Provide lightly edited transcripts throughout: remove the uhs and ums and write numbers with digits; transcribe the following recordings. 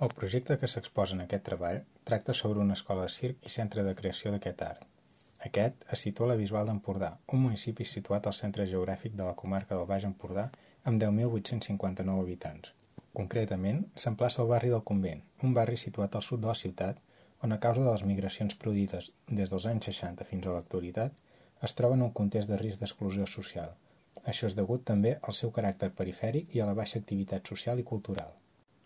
El projecte que s'exposa en aquest treball tracta sobre una escola de circ i centre de creació d'aquest art. Aquest es situa a la Bisbal d'Empordà, un municipi situat al centre geogràfic de la comarca del Baix Empordà amb 10.859 habitants. Concretament, s'emplaça al barri del Convent, un barri situat al sud de la ciutat, on a causa de les migracions produïdes des dels anys 60 fins a l'actualitat, es troba en un context de risc d'exclusió social. Això és degut també al seu caràcter perifèric i a la baixa activitat social i cultural.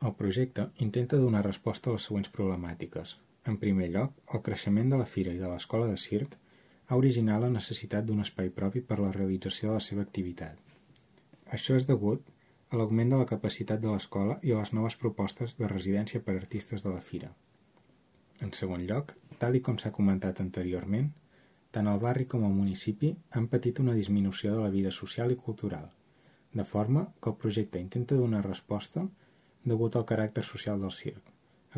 El projecte intenta donar resposta a les següents problemàtiques. En primer lloc, el creixement de la fira i de l'escola de circ ha originat la necessitat d'un espai propi per a la realització de la seva activitat. Això és degut a l'augment de la capacitat de l'escola i a les noves propostes de residència per a artistes de la fira. En segon lloc, tal com s'ha comentat anteriorment, tant el barri com el municipi han patit una disminució de la vida social i cultural, de forma que el projecte intenta donar resposta degut al caràcter social del circ,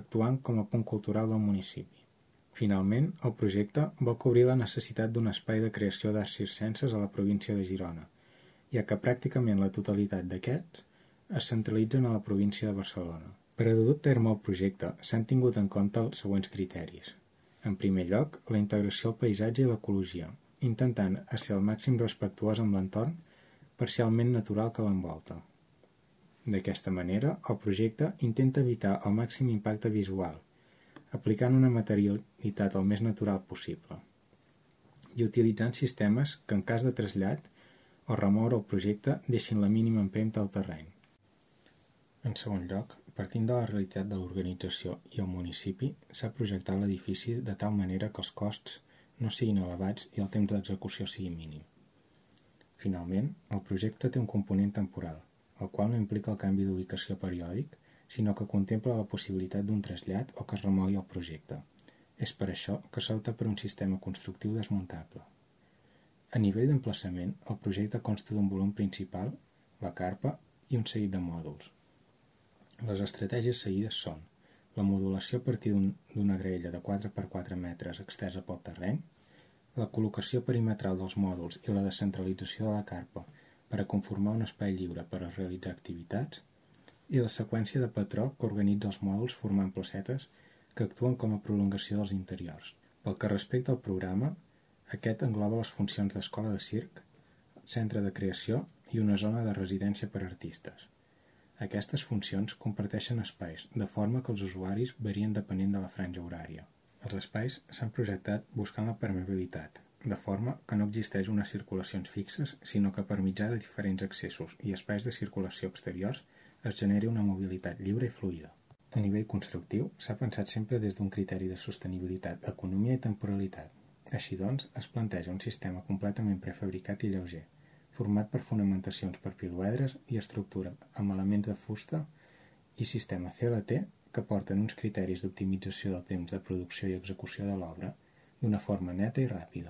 actuant com a punt cultural del municipi. Finalment, el projecte vol cobrir la necessitat d'un espai de creació d'arts circenses a la província de Girona, ja que pràcticament la totalitat d'aquests es centralitzen a la província de Barcelona. Per a dur a terme el projecte s'han tingut en compte els següents criteris. En primer lloc, la integració al paisatge i l'ecologia, intentant ser al màxim respectuós amb l'entorn parcialment natural que l'envolta. D'aquesta manera, el projecte intenta evitar el màxim impacte visual, aplicant una materialitat el més natural possible i utilitzant sistemes que en cas de trasllat o remoure el projecte deixin la mínima empremta al terreny. En segon lloc, partint de la realitat de l'organització i el municipi, s'ha projectat l'edifici de tal manera que els costs no siguin elevats i el temps d'execució sigui mínim. Finalment, el projecte té un component temporal, el qual no implica el canvi d'ubicació periòdic, sinó que contempla la possibilitat d'un trasllat o que es remogui el projecte. És per això que s'opta per un sistema constructiu desmuntable. A nivell d'emplaçament, el projecte consta d'un volum principal, la carpa i un seguit de mòduls. Les estratègies seguides són la modulació a partir d'una graella de 4x4 metres extesa pel terreny, la col·locació perimetral dels mòduls i la descentralització de la carpa per a conformar un espai lliure per a realitzar activitats, i la seqüència de patró que organitza els mòduls formant placetes que actuen com a prolongació dels interiors. Pel que respecta al programa, aquest engloba les funcions d'escola de circ, centre de creació i una zona de residència per a artistes. Aquestes funcions comparteixen espais, de forma que els usuaris varien depenent de la franja horària. Els espais s'han projectat buscant la permeabilitat, de forma que no existeix unes circulacions fixes, sinó que per mitjà de diferents accessos i espais de circulació exteriors es generi una mobilitat lliure i fluida. A nivell constructiu, s'ha pensat sempre des d'un criteri de sostenibilitat, economia i temporalitat. Així doncs, es planteja un sistema completament prefabricat i lleuger, format per fonamentacions per piloedres i estructura amb elements de fusta i sistema CLT que porten uns criteris d'optimització del temps de producció i execució de l'obra d'una forma neta i ràpida.